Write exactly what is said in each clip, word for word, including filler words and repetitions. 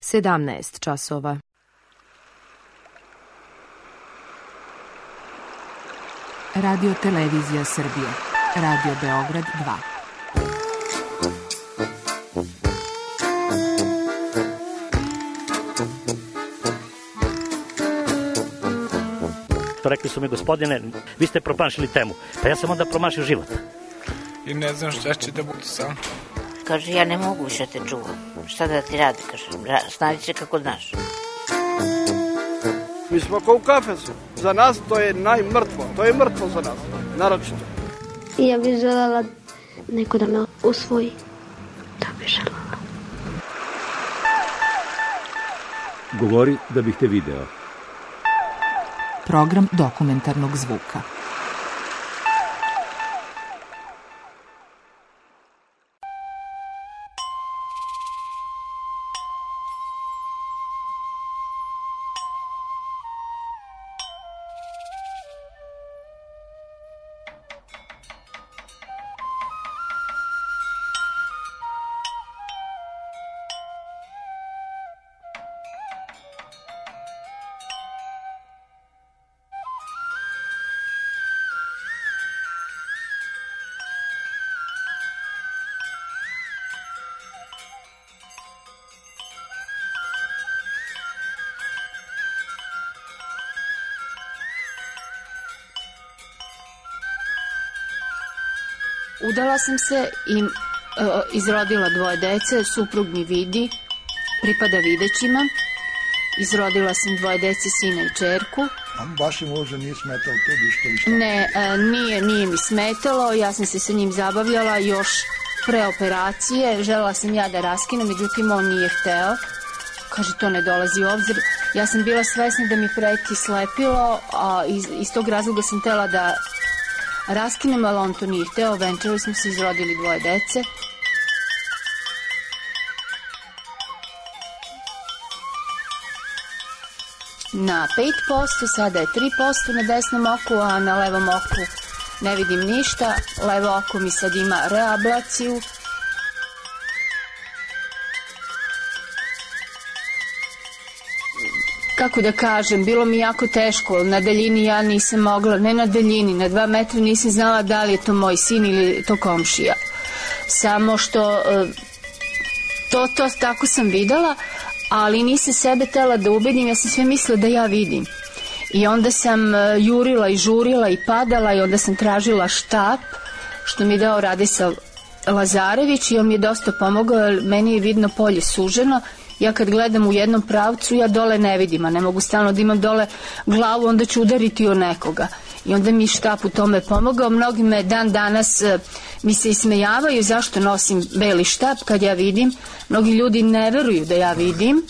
sedamnaest časova. Radio Televizija Srbije. Radio Beograd dva. Rekli su mi, gospodine, vi ste promašili temu. Pa ja sam onda promašio život. I ne znam šta će da bude sam. Kaže, ja ne mogu više te čuvam. Šta da ti radi, kaže, snađi se kako znaš. Mi smo kao u kafesu. Za nas to je najmrtvo. To je mrtvo za nas, naročito. Ja bih želela neko da me usvoji. Da bih želela. Govori da bih te video. Program dokumentarnog zvuka. Udala sam se i e, izrodila dvoje dece, suprug mi vidi, pripada videćima. Izrodila sam dvoje dece, sina i čerku. A vašem mužu nije smetalo tebi što li šta? Ne, e, nije, nije mi smetalo, ja sam se sa njim zabavljala još pre operacije. Želela sam ja da raskinem, međutim on nije hteo. Kaže, to ne dolazi u obzir. Ja sam bila svesna da mi preti slepilo, a iz, iz tog razloga sam htela da raskinem, ali on to nije hteo. Venčali smo se, izrodili dvoje dece. Na pet posto, sada je tri posto na desnom oku, a na levom oku ne vidim ništa. Levo oko mi sad ima reablaciju. Kako da kažem, bilo mi jako teško, na daljini ja nisam mogla, ne na daljini, na dva metra nisam znala da li je to moj sin ili to komšija. Samo što to, to tako sam videla, ali nisam sebe tela da ubedim, ja sam sve mislila da ja vidim. I onda sam jurila i žurila i padala i onda sam tražila štap, što mi je dao Radislav Lazarević i on mi je dosta pomogao, jer meni je vidno polje suženo. Ja kad gledam u jednom pravcu, ja dole ne vidim, a ne mogu stalno da imam dole glavu, onda ću udariti o nekoga. I onda mi štap u tome pomogao. Mnogi me dan danas mi se ismejavaju zašto nosim beli štap kad ja vidim. Mnogi ljudi ne veruju da ja vidim.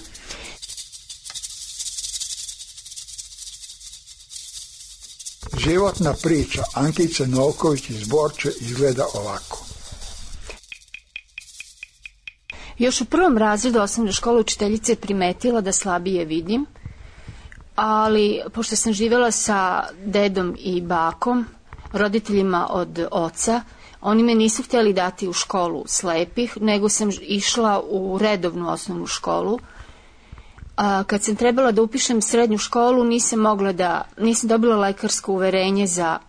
Životna priča Ankice Novković iz Borče izgleda ovako. Još u prvom razredu osnovne škole učiteljica je primetila da slabije vidim, ali pošto sam živjela sa dedom i bakom, roditeljima od oca, oni me nisu htjeli dati u školu slepih, nego sam išla u redovnu osnovnu školu. A kad sam trebala da upišem srednju školu, nisam mogla da, nisam dobila lekarsko uverenje za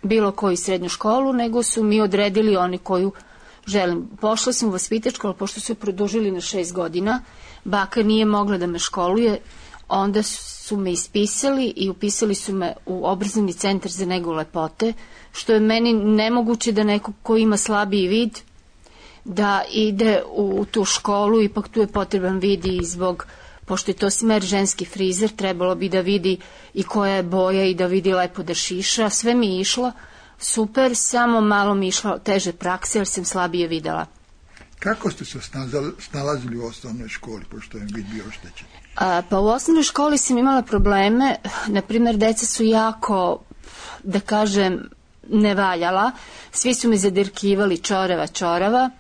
bilo koju srednju školu, nego su mi odredili oni koju želim. Pošla sam u vaspitačku, ali pošto su je produžili na šest godina, baka nije mogla da me školuje, onda su me ispisali i upisali su me u obrazovni centar za negu lepote, što je meni nemoguće da neko ko ima slabiji vid da ide u tu školu, ipak tu je potreban vid i zbog, pošto je to smer ženski frizer, trebalo bi da vidi i koja je boja i da vidi lepo da šiša. Sve mi je išlo super, samo malo mi išlo teže prakse jer sam slabije videla. Kako ste se snalazili u osnovnoj školi, pošto je vid bio oštećen? A, pa u osnovnoj školi sam imala probleme, na primjer deca su jako, da kažem, nevaljala, svi su me zadirkivali čorava, čorava.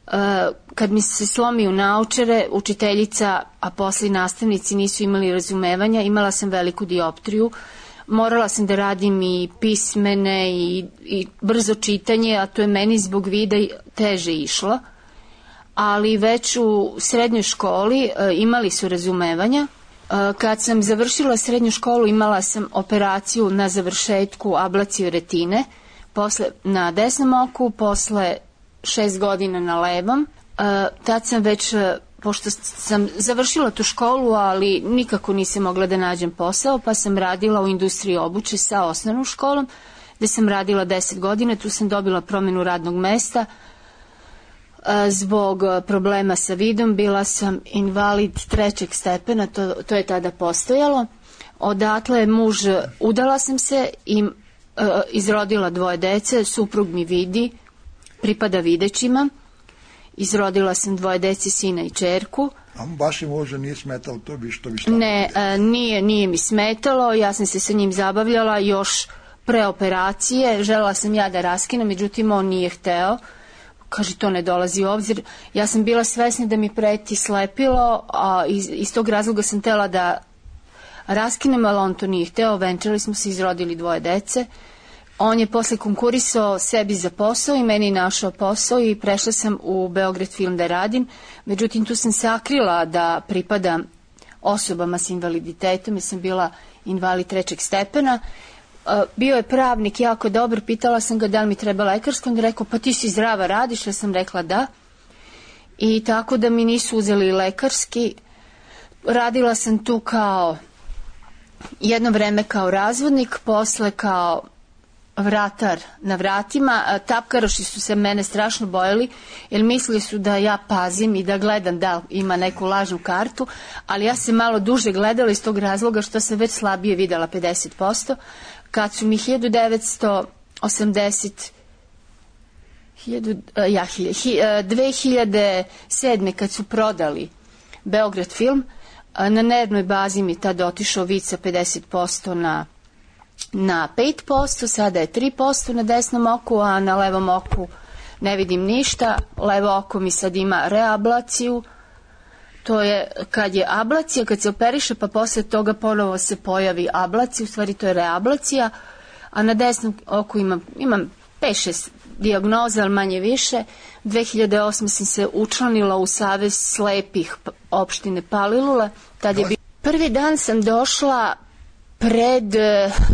A, kad mi se slomi u naučare, učiteljica, a posle nastavnici nisu imali razumevanja, imala sam veliku dioptriju, morala sam da radim i pismene i, i brzo čitanje, a to je meni zbog vida teže išlo. ali već u srednjoj školi imali su razumevanja. Kad sam završila srednju školu imala sam operaciju na završetku ablaciju retine, posle na desnom oku, posle šest godina na levom. Tad sam već, pošto sam završila tu školu, ali nikako nisam mogla da nađem posao, pa sam radila u industriji obuće sa osnovnom školom, gde sam radila deset godina, tu sam dobila promenu radnog mesta. Zbog problema sa vidom bila sam invalid trećeg stepena, to, to je tada postojalo. Odatle muž, udala sam se i e, izrodila dvoje dece, suprug mi vidi, pripada videćima. Izrodila sam dvoje dece, sina i ćerku. A vašim mužem nije smetalo to bi što bi šta? Ne, e, nije, nije mi smetalo, ja sam se sa njim zabavljala još pre operacije, želela sam ja da raskinem, međutim on nije hteo. Kaže, to ne dolazi u obzir. Ja sam bila svesna da mi preti slepilo, a iz, iz tog razloga sam htela da raskinem, ali on to nije hteo. Venčali smo se, izrodili dvoje dece. On je posle konkurisao sebi za posao i meni našao posao i prešla sam u Beograd film da radim. Međutim, tu sam sakrila da pripadam osobama s invaliditetom, jer sam bila invalid trećeg stepena. Bio je pravnik jako dobar, pitala sam ga da li mi treba lekarsko, on je rekao pa ti si zdrava, radiš, ja sam rekla da. I tako da mi nisu uzeli lekarski. Radila sam tu kao jedno vreme kao razvodnik, posle kao vratar na vratima. Tapkaroši su se mene strašno bojali, jer mislili su da ja pazim i da gledam da ima neku lažnu kartu, ali ja sam malo duže gledala iz tog razloga što sam već slabije videla pedeset posto. Kad su mi hiljadu devetsto osamdeset ja, dve hiljade sedme kad su prodali Beograd film, na nervnoj bazi mi tad otišao vid sa pedeset posto na, na pet posto, sada je tri posto na desnom oku, a na levom oku ne vidim ništa. Levo oko mi sad ima reablaciju. To je kad je ablacija, kad se operiše, pa posle toga ponovo se pojavi ablacija, u stvari to je reablacija, a na desnom oku imam, imam pet šest dijagnoza, ali manje više. dve hiljade osme sam se učlanila u Savez slepih opštine Palilula. Tad je bi... Prvi dan sam došla pred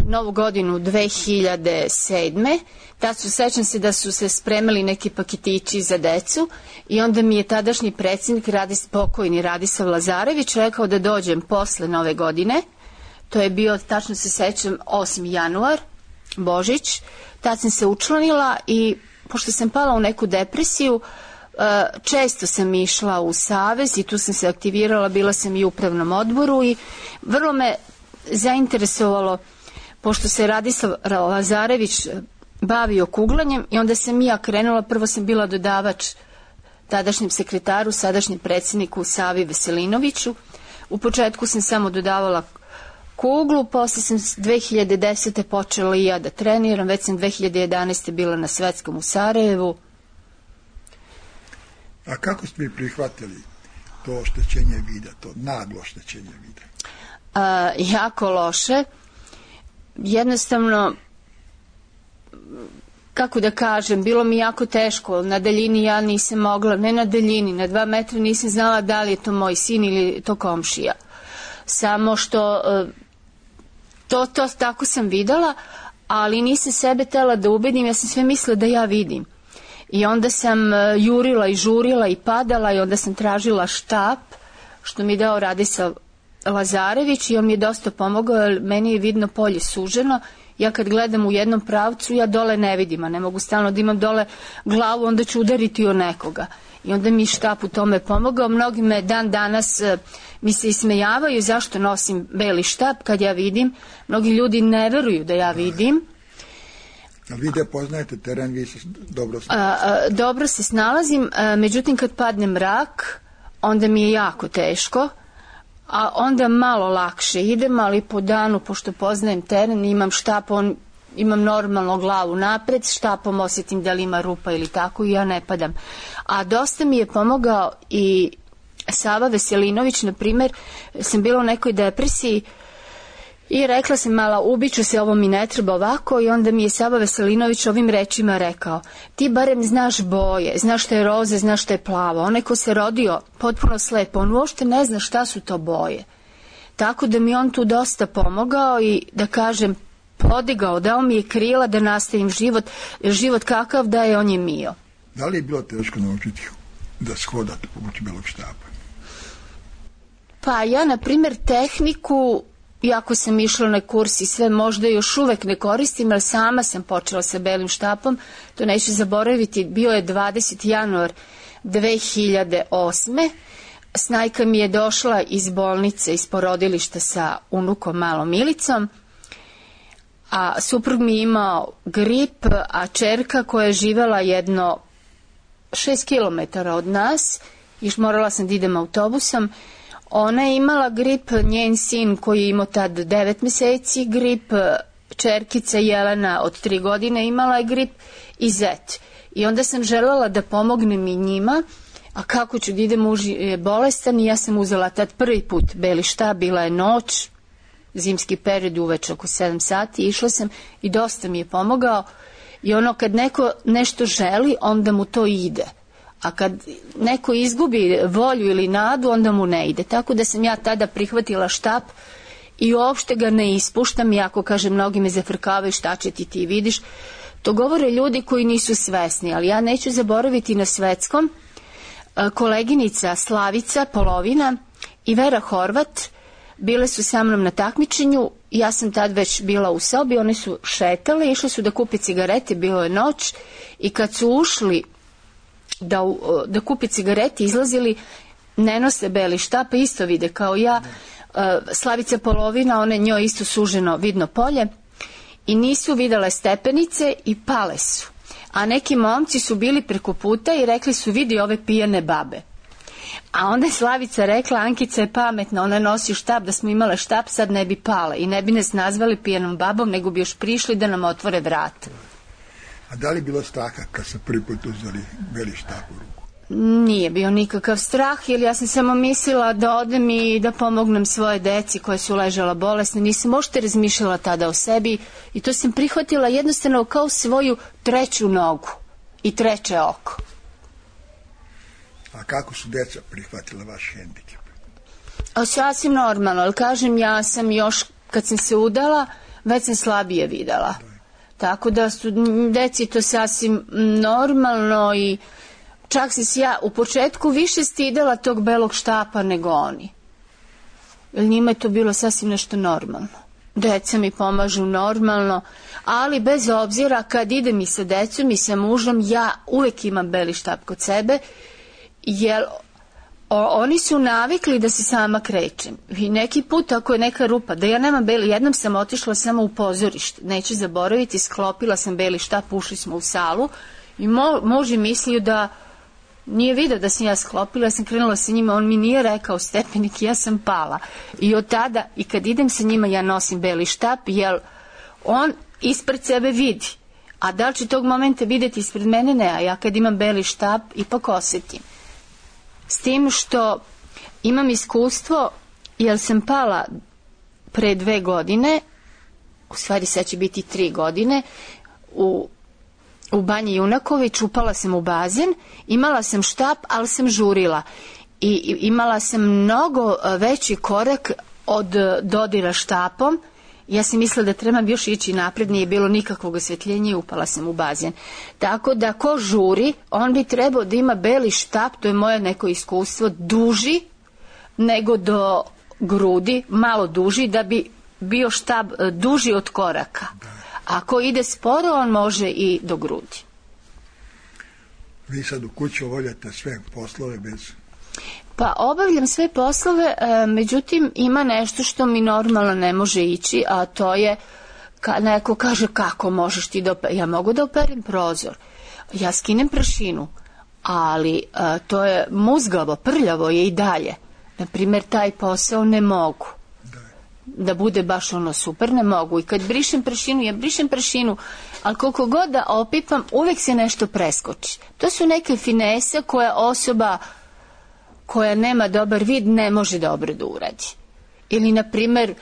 Novu godinu dve hiljade sedme. Tad su, sećam se da su se spremali neki paketići za decu i onda mi je tadašnji predsjednik, Radis, pokojni Radisav Lazarević, rekao da dođem posle Nove godine. To je bio, tačno se sećam, osmi januar, Božić. Tad sam se učlanila i pošto sam pala u neku depresiju, često sam išla u Savez i tu sam se aktivirala, bila sam i u upravnom odboru i vrlo me zainteresovalo, pošto se Radislav Lazarević bavio kuglanjem i onda sam i ja krenula, prvo sam bila dodavač tadašnjem sekretaru, sadašnjem predsjedniku Savi Veselinoviću. U početku sam samo dodavala kuglu, posle sam dve hiljade desete počela i ja da treniram, već sam dve hiljade jedanaeste bila na svetskom u Sarajevu. A kako ste vi prihvatili to oštećenje vida, to naglo oštećenje vida? A, jako loše. Jednostavno, kako da kažem, bilo mi jako teško. Na daljini ja nisam mogla, ne na daljini, na dva metra nisam znala da li je to moj sin ili to komšija. Samo što to, to tako sam videla, ali nisam sebe tela da ubedim, ja sam sve mislila da ja vidim. I onda sam jurila i žurila i padala i onda sam tražila štap, što mi dao Radisav Lazarević i on mi je dosta pomogao, jer meni je vidno polje suženo. Ja kad gledam u jednom pravcu, ja dole ne vidim, a ne mogu stalno da imam dole glavu, onda ću udariti o nekoga. I onda mi štap u tome pomogao. Mnogi me dan danas mi se ismejavaju zašto nosim beli štap kad ja vidim. Mnogi ljudi ne veruju da ja vidim. A vi da poznajete teren, vi se dobro snalazite? A, a, dobro se snalazim, a, međutim kad padne mrak, onda mi je jako teško, a onda malo lakše idem, ali po danu, pošto poznajem teren, imam štap, on, imam normalno glavu napred, štapom osjetim da li ima rupa ili tako i ja ne padam. A dosta mi je pomogao i Sava Veselinović, na primjer, sam bila u nekoj depresiji I rekla sam, mala, ubiću se, ovo mi ne treba ovako, i onda mi je Sava Veselinović ovim rečima rekao: ti barem znaš boje, znaš šta je roze, znaš šta je plavo. Onaj ko se rodio potpuno slep, on uopšte ne zna šta su to boje. Tako da mi on tu dosta pomogao i, da kažem, podigao, dao mi je krila da nastavim život, život kakav da je, on je mio. Da li je bilo teško naučiti da shodate pomoću belog štapa? Pa ja, na primjer, tehniku, iako sam išla na kurs i sve, možda još uvek ne koristim, ali sama sam počela sa belim štapom, to neću zaboraviti, bio je dvadeseti januar dve hiljade osme. Snajka mi je došla iz bolnice, iz porodilišta sa unukom malom Milicom, a suprug mi je imao grip, a čerka koja je živela jedno šest kilometara od nas, još morala sam da idem autobusom, ona je imala grip, njen sin koji je imao tad devet meseci grip, čerkica Jelena od tri godine imala je grip i zet. I onda sam želela da pomognem i njima, a kako ću da idem, muž je bolestan, i ja sam uzela tad prvi put beli štap, bila je noć, zimski period, uveče oko sedam sati, išla sam i dosta mi je pomogao. I ono, kad neko nešto želi, onda mu to ide. A kad neko izgubi volju ili nadu, onda mu ne ide. Tako da sam ja tada prihvatila štap i uopšte ga ne ispuštam, iako, kažem, mnogi me zafrkavaju, šta će ti, ti vidiš. To govore ljudi koji nisu svesni, ali ja neću zaboraviti na svetskom koleginica Slavica Polovina i Vera Horvat bile su sa mnom na takmičenju. Ja sam tad već bila u sobi, one su šetale, išle su da kupe cigarete, bilo je noć, i kad su ušli da, da kupe cigarete, izlazili, ne nose beli štap, isto vide kao ja. Slavica Polovina, one njoj isto suženo vidno polje, i nisu videle stepenice i pale su. A neki momci su bili preko puta i rekli su: vidi ove pijane babe. A onda je Slavica rekla: Ankica je pametna, ona nosi štap, da smo imale štap sad ne bi pale i ne bi nas nazvali pijanom babom, nego bi još prišli da nam otvore vrata. A da li bilo straha kad se prvi put uzeli beli štap u ruku? Nije bio nikakav strah, jer ja sam samo mislila da odem i da pomognem svoje deci koje su ležala bolesne. Nisam uopšte razmišljala tada o sebi i to sam prihvatila jednostavno kao svoju treću nogu i treće oko. A kako su deca prihvatila vaš hendikep? A sasvim normalno, ali kažem, ja sam još kad sam se udala, već sam slabije videla. Tako da su deci to sasvim normalno i čak sam se ja u početku više stidela tog belog štapa nego oni. Jer njima je to bilo sasvim nešto normalno. Deca mi pomažu normalno, ali bez obzira kad idem i sa decom i sa mužom, ja uvek imam beli štap kod sebe, jer o, oni su navikli da se sama krećem. I neki put ako je neka rupa, da ja nemam beli, jednom sam otišla samo u pozorište, neću zaboraviti, sklopila sam beli štap, ušli smo u salu i mo, muž je mislio da nije vidio da sam ja sklopila, ja sam krenula sa njima, on mi nije rekao stepenik, ja sam pala. I od tada, i kad idem sa njima, ja nosim beli štap, jer on ispred sebe vidi. A da li će tog momenta vidjeti ispred mene? Ne, a ja kad imam beli štap, ipak osetim. S tim što imam iskustvo, jer sam pala pre dve godine, u stvari sad će biti tri godine, u u Banji Junaković, upala sam u bazen, imala sam štap, ali sam žurila. I imala sam mnogo veći korak od dodira štapom. Ja sam mislila da trebam još ići napred, nije bilo nikakvog osvetljenja i upala sam u bazen. Tako da ko žuri, on bi trebao da ima beli štap, to je moje neko iskustvo, duži nego do grudi, malo duži, da bi bio štap duži od koraka. Ako ide sporo, on može i do grudi. Vi sad u kući obavljate sve poslove bez... Pa obavljam sve poslove, e, međutim ima nešto što mi normalno ne može ići, a to je, ka, neko kaže kako možeš ti da operem. Ja mogu da operem prozor, ja skinem prašinu, ali e, to je muzgavo, prljavo je i dalje. Naprimjer, taj posao ne mogu. Da bude baš ono super, ne mogu. I kad brišem prašinu, ja brišem prašinu, ali koliko god da opipam, uvek se nešto preskoči. To su neke finese koje osoba koja nema dobar vid ne može dobro da uradi. Ili, na primer,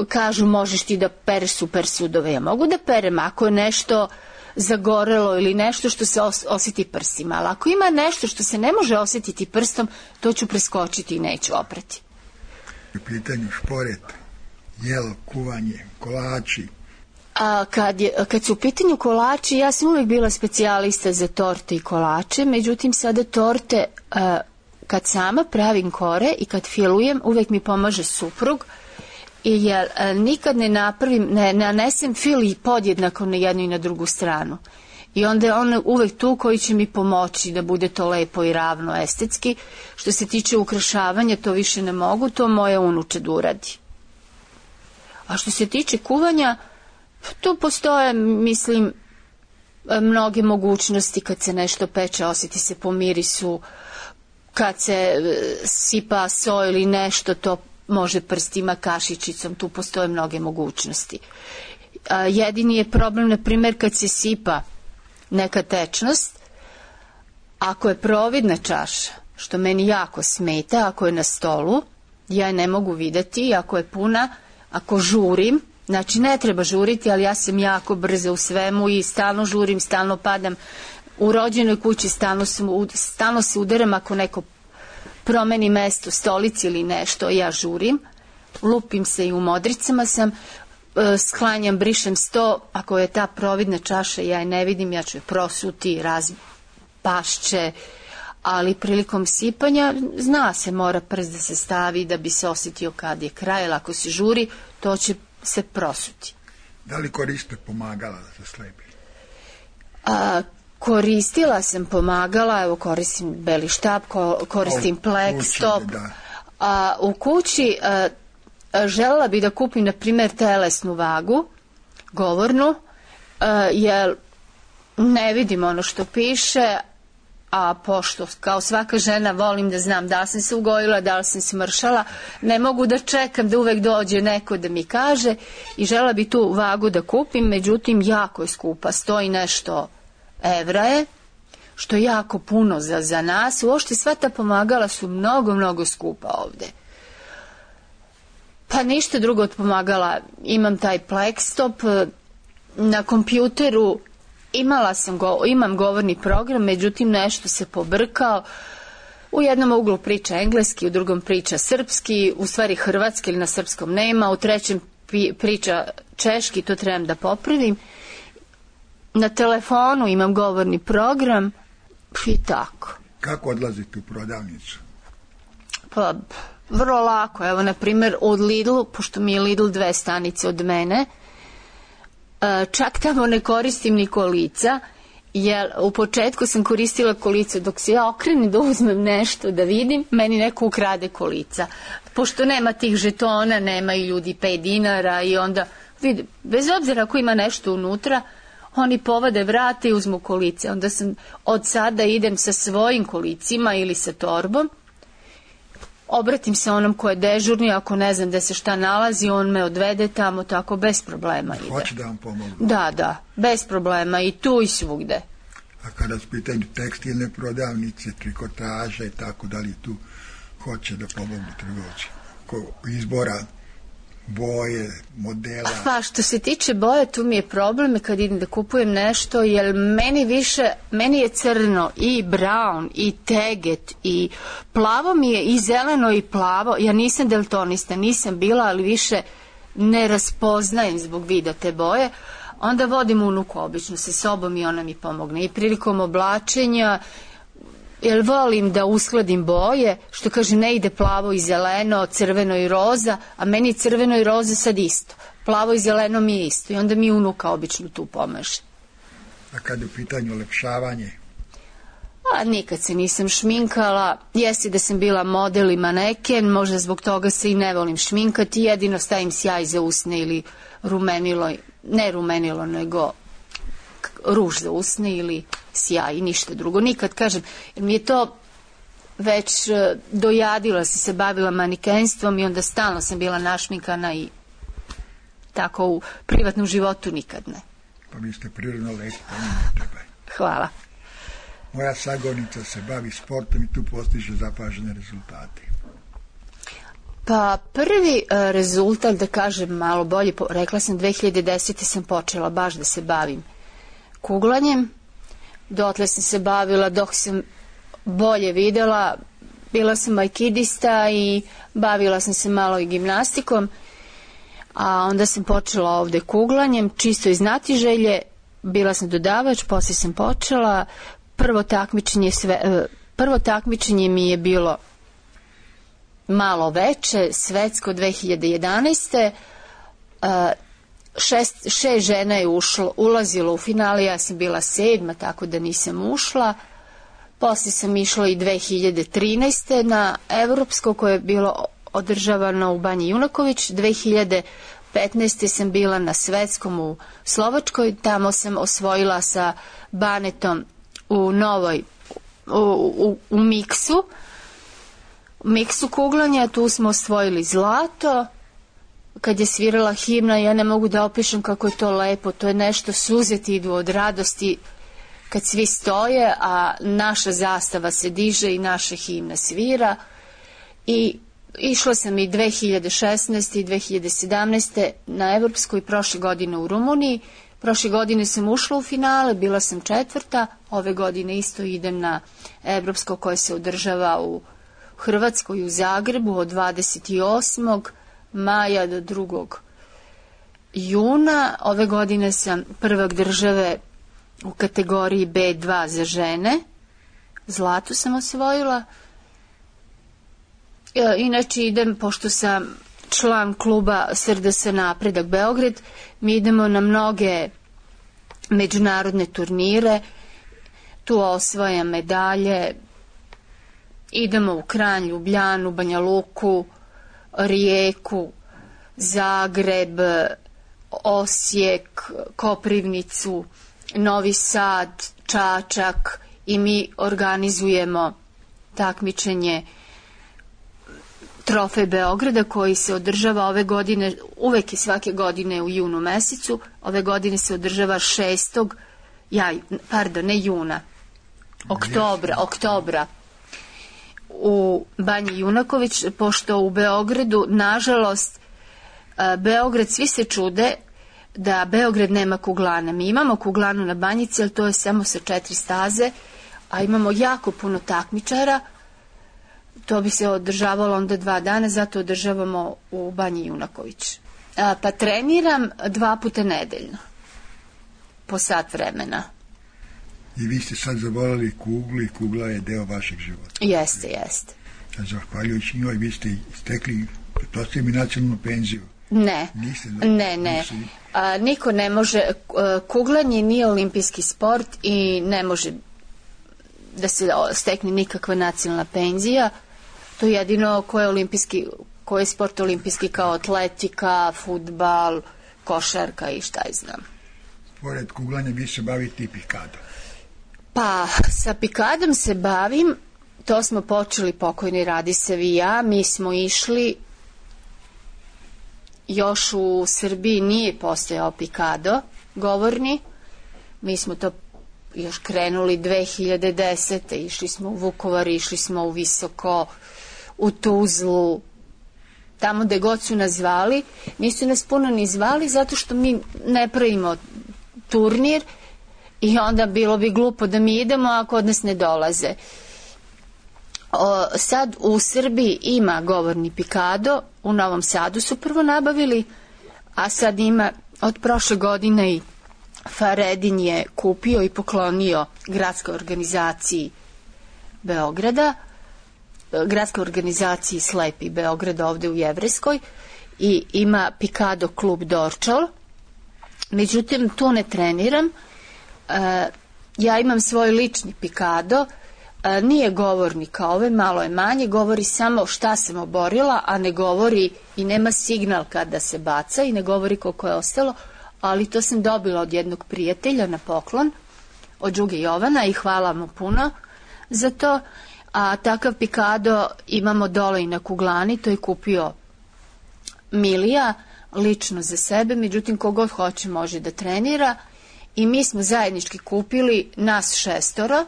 kažu možeš ti da pereš super sudove. Ja mogu da perem ako je nešto zagorelo ili nešto što se os- osjeti prstima, ali ako ima nešto što se ne može osjetiti prstom, to ću preskočiti i neću oprati. U pitanju šporet, jelo, kuvanje, kolači. A kad, je, kad su u pitanju kolači, ja sam uvijek bila specijalista za torte i kolače, međutim sada torte, a, kad sama pravim kore i kad filujem, uvijek mi pomaže suprug, i jer a, nikad ne napravim, ne nanesem fil i podjednako na jednu i na drugu stranu. I onda je on uvek tu koji će mi pomoći da bude to lepo i ravno estetski. Što se tiče ukrašavanja, to više ne mogu, to moja unuče da uradi. A što se tiče kuvanja, tu postoje, mislim, mnoge mogućnosti. Kad se nešto peče, osjeti se po mirisu, kad se sipa so ili nešto, to može prstima, kašičicom, tu postoje mnoge mogućnosti. A, jedini je problem, na primjer, kad se sipa neka tečnost, ako je providna čaša, što meni jako smeta, ako je na stolu, ja je ne mogu videti, ako je puna, ako žurim, znači ne treba žuriti, ali ja sam jako brza u svemu i stalno žurim, stalno padam. U rođenoj kući stalno, sam, stalno se udaram ako neko promeni mesto, stolici ili nešto, ja žurim, lupim se i u modricama sam, sklanjam, brišem sto, ako je ta providna čaša, ja je ne vidim, ja ću je prosuti, razpašće, ali prilikom sipanja zna se, mora prst da se stavi da bi se osjetio kad je kraj, ali ako se žuri, to će se prosuti. Da li koriste pomagala da se slepi? A, koristila sam pomagala, evo koristim beli štab, ko, koristim plek, stop. Da. A, u kući a, a, želela bi da kupim, na primjer, telesnu vagu, govornu, a, jer ne vidim ono što piše, a pošto kao svaka žena volim da znam da li sam se ugojila, da li sam smršala, ne mogu da čekam da uvek dođe neko da mi kaže i žela bi tu vagu da kupim, međutim jako je skupa, stoji nešto evra je, što je jako puno za, za nas, uopšte sva ta pomagala su mnogo, mnogo skupa ovde. Pa ništa drugo od pomagala, imam taj Plexstop, na kompjuteru imala sam go, imam govorni program, međutim nešto se pobrkao. U jednom uglu priča engleski, u drugom priča srpski, u stvari hrvatski ili na srpskom nema, u trećem priča češki, to trebam da popravim. Na telefonu imam govorni program i tako. Kako odlazite u prodavnicu? Pa, vrlo lako. Evo, na primjer, od Lidlu, pošto mi je Lidl dve stanice od mene, čak tamo ne koristim ni kolica, jer u početku sam koristila kolica, dok se ja okrenem da uzmem nešto da vidim, meni neko ukrade kolica. Pošto nema tih žetona, nema i ljudi pet dinara i onda, vidim, bez obzira ako ima nešto unutra, oni povade vrate i uzmu kolice. Onda sam od sada idem sa svojim kolicima ili sa torbom, obratim se onom ko je dežurni, ako ne znam da se šta nalazi, on me odvede tamo, tako bez problema ide. Hoće da vam pomogu? Da, da, bez problema i tu i svugde. A kada su pitanju tekstilne prodavnice, trikotaže i tako, da li tu hoće da pomogu trgovci? Ko izbora boje, modela? Pa što se tiče boje, tu mi je problem kad idem da kupujem nešto, jer meni više, meni je crno i brown i teget i plavo mi je i zeleno i plavo. Ja nisam daltonista, nisam bila, ali više ne raspoznajem zbog vida te boje. Onda vodim unuku obično sa sobom i ona mi pomogne. I prilikom oblačenja, jer volim da uskladim boje, što kažem, ne ide plavo i zeleno, crveno i roza, a meni crveno i roza sad isto. Plavo i zeleno mi je isto i onda mi unuka obično tu pomaže. A kad je u pitanju ulepšavanje? A nikad se nisam šminkala, jesi da sam bila model i maneken, možda zbog toga se i ne volim šminkati, jedino stavim sjaj za usne ili rumenilo, ne rumenilo, nego ruž za usne ili sjaj i ništa drugo. Nikad, kažem, jer mi je to već dojadila, si se bavila manikenstvom i onda stalno sam bila našminkana i tako u privatnom životu nikad ne. Pa vi ste prirodno lepi, pa ne treba. Hvala. Moja sagovornica se bavi sportom i tu postiže zapažene rezultate. Pa prvi uh, rezultat, da kažem malo bolje, po, rekla sam dve hiljade desete sam počela baš da se bavim kuglanjem. Dotle sam se bavila dok sam bolje videla, bila sam aikidista i bavila sam se malo i gimnastikom, a onda sam počela ovde kuglanjem, čisto iz znatiželje, bila sam dodavač, poslije sam počela, prvo takmičenje, sve, prvo takmičenje mi je bilo malo veće, svetsko dve hiljade jedanaeste. Šest, šest žena je ušlo, ulazilo u finale, ja sam bila sedma, tako da nisam ušla. Poslije sam išla i dve hiljade trinaeste na evropsko koje je bilo održavano u Banji Junaković. dve hiljade petnaeste sam bila na svetskom u Slovačkoj, tamo sam osvojila sa Banetom u novoj, u, u, u miksu, miksu kuglanja, tu smo osvojili zlato. Kad je svirala himna, ja ne mogu da opišem kako je to lepo, to je nešto, suze ti idu od radosti kad svi stoje, a naša zastava se diže i naša himna svira. I išla sam i dve hiljade šesnaeste i dve hiljade sedamnaeste na evropsku i prošle godine u Rumuniji. Prošle godine sam ušla u finale, bila sam četvrta, ove godine isto idem na evropsko koje se održava u Hrvatskoj u Zagrebu od dvadeset osmog maja do drugog juna. Ove godine sam prvak države u kategoriji be dva za žene. Zlato sam osvojila. Inače idem, pošto sam član kluba S R D S Napredak Beograd, mi idemo na mnoge međunarodne turnire, tu osvajam medalje, idemo u Kranj, Ljubljanu, Banja Luku, Rijeku, Zagreb, Osijek, Koprivnicu, Novi Sad, Čačak i mi organizujemo takmičenje Trofej Beograda koji se održava ove godine, uvek i svake godine u junu mesecu, ove godine se održava šestog, ja, pardon, ne juna, oktobra, oktobra u Banji Junaković, pošto u Beogradu, nažalost, Beograd, svi se čude da Beograd nema kuglana. Mi imamo kuglanu na Banjici, ali to je samo sa četiri staze, a imamo jako puno takmičara. To bi se održavalo onda dva dana, zato održavamo u Banji Junaković. A, pa treniram dva puta nedeljno, po sat vremena. I vi ste sad zavolali kuglu i kugla je deo vašeg života. Jeste, jeste. A zahvaljujući njoj vi ste stekli, pretpostavljam i nacionalnu penziju. Ne, Niste, ne, ne. Niste... A, niko ne može, kuglanje nije olimpijski sport i ne može da se stekne nikakva nacionalna penzija. To je jedino ko je olimpijski, ko je sport olimpijski kao atletika, fudbal, košarka i šta je znam. Pored kuglanja vi se bavite i pikadom. Pa, sa pikadom se bavim, to smo počeli pokojni Radisav i ja, mi smo išli, još u Srbiji nije postojao pikado govorni, mi smo to još krenuli dve hiljade desete. Išli smo u Vukovar, išli smo u Visoko, u Tuzlu, tamo gde god su nas zvali. Nisu nas puno ni zvali zato što mi ne pravimo turnir i onda bilo bi glupo da mi idemo ako od nas ne dolaze. O, sad u Srbiji ima govorni pikado, u Novom Sadu su prvo nabavili, a sad ima od prošle godine i Faredin je kupio i poklonio gradskoj organizaciji Beograda, gradskoj organizaciji Slepi Beograda ovde u Jevrejskoj, i ima pikado klub Dorčol. Međutim, tu ne treniram. E, ja imam svoj lični pikado, e, nije govorni kao ove, malo je manje, govori samo šta sam oborila, a ne govori i nema signal kada se baca i ne govori koliko je ostalo, ali to sam dobila od jednog prijatelja na poklon, od Đuge Jovana, i hvala mu puno za to. A takav pikado imamo dole i na kuglani, to je kupio Milija, lično za sebe, međutim kogod hoće može da trenira, i mi smo zajednički kupili, nas šestoro,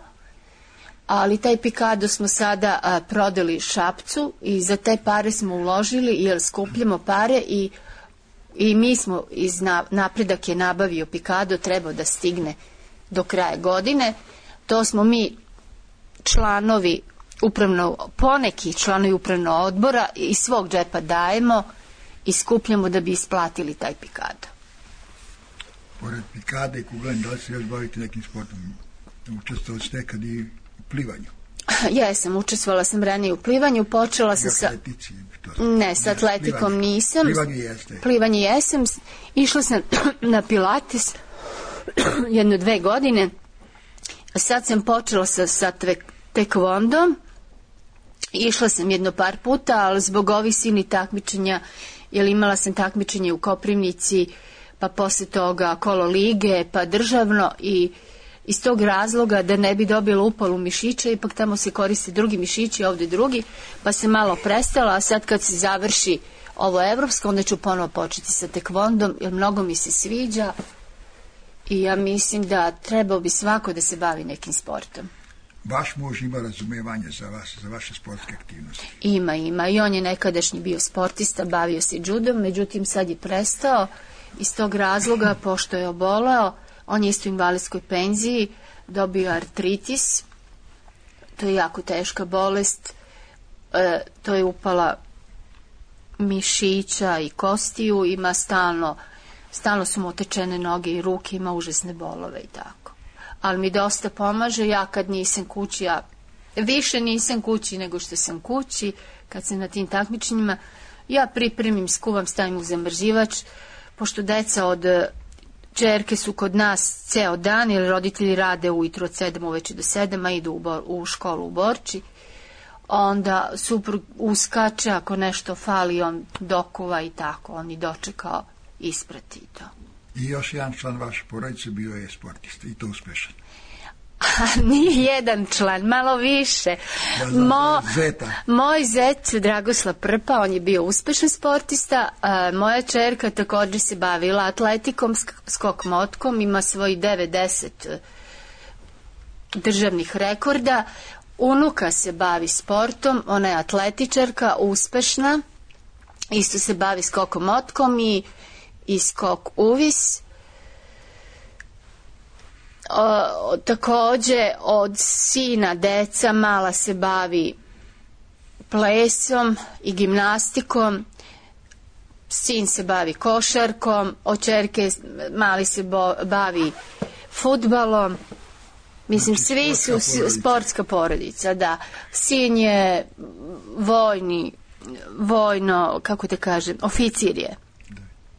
ali taj pikado smo sada a, prodali Šapcu i za te pare smo uložili, jer skupljamo pare i, i mi smo, iz na, napredak je nabavio pikado, trebao da stigne do kraja godine. To smo mi članovi upravno, poneki članovi upravnog odbora iz svog džepa dajemo i skupljamo da bi isplatili taj pikado. Pored pikade i kuglanja, da li se još bavite nekim sportom? Učestvovali ste nekad i u plivanju? Jesam, učestvovala sam ranije u plivanju, počela sam sa... Ne, sa atletikom nisam. Plivanje jeste. Plivanje jesam. Išla sam na pilates jedno dve godine. Sad sam počela sa, sa tekvondom. Išla sam jedno par puta, ali zbog ovih silnih takmičenja, jer imala sam takmičenje u Koprivnici, pa posle toga kolo lige, pa državno, i iz tog razloga da ne bi dobila upalu mišića, ipak tamo se koriste drugi mišići, ovde drugi, pa se malo prestala, a sad kad se završi ovo evropsko, onda ću ponovo početi sa tekvondom, jer mnogo mi se sviđa i ja mislim da trebao bi svako da se bavi nekim sportom. Vaš muž ima razumevanje za vas, za vaše sportske aktivnosti? Ima, ima. I on je nekadašnji bio sportista, bavio se judom, međutim sad je prestao iz tog razloga, pošto je oboleo. On je isto u invalidskoj penziji, dobio artritis, to je jako teška bolest, e, to je upala mišića i kostiju, ima stalno, stalno su mu otečene noge i ruke, ima užasne bolove i tako. Ali mi dosta pomaže, ja kad nisam kući, ja više nisam kući nego što sam kući, kad sam na tim takmičenjima, ja pripremim, skuvam, stavim u zamrzivač, pošto deca od čerke su kod nas ceo dan, jer roditelji rade ujutro od sedam uveče do sedam, a idu u, bor, u školu u Borči, onda suprug uskače, ako nešto fali, on dokuva i tako, on i dočekao, isprati to. I još jedan član vaše porodice bio je sportista, i to uspešan. A nije jedan član, malo više. Ja znam, Mo, zeta. Moj zet, Dragoslav Prpa, on je bio uspešan sportista. A, moja čerka također se bavila atletikom, skok motkom, ima svoj devedeset državnih rekorda. Unuka se bavi sportom, ona je atletičarka, uspešna, isto se bavi skokom motkom i, i skok uvis. O, takođe od sina deca mala se bavi plesom i gimnastikom, sin se bavi košarkom, od čerke mali se bo, bavi fudbalom. Mislim, znači, svi su porodica. Sportska porodica, da. Sin je vojni, vojno, kako te kažem, oficir je,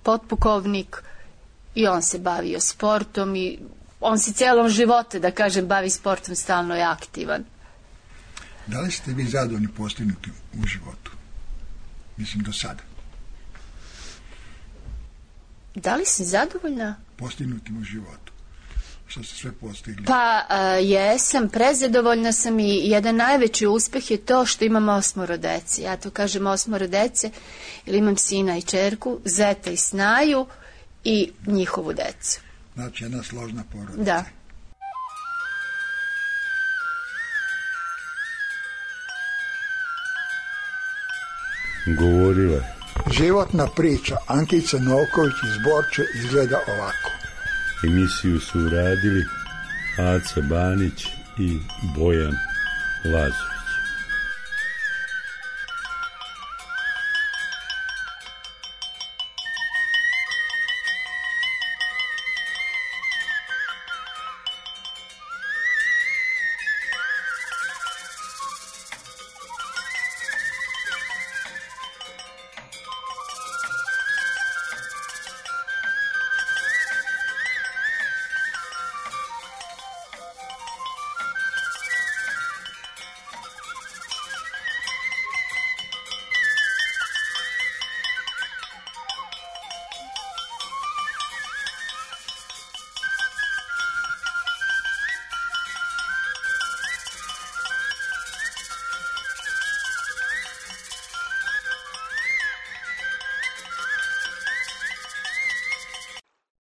potpukovnik, i on se bavio sportom i on se cijelom životu, da kažem, bavi sportom, stalno je aktivan. Da li ste vi zadovoljni postignuti u životu? Mislim, do sada. Da li sam zadovoljna? Postignutim u životu. Što ste sve postigli? Pa, a, jesam, prezadovoljna sam, i jedan najveći uspeh je to što imam osmoro dece. Ja to kažem osmoro dece, jer imam sina i čerku, zeta i snaju i njihovu decu. Znači, jedna složna porodica. Da. Govorila. Životna priča Ankice Novković iz Borče izgleda ovako. Emisiju su uradili Aca Banić i Bojan Lazo.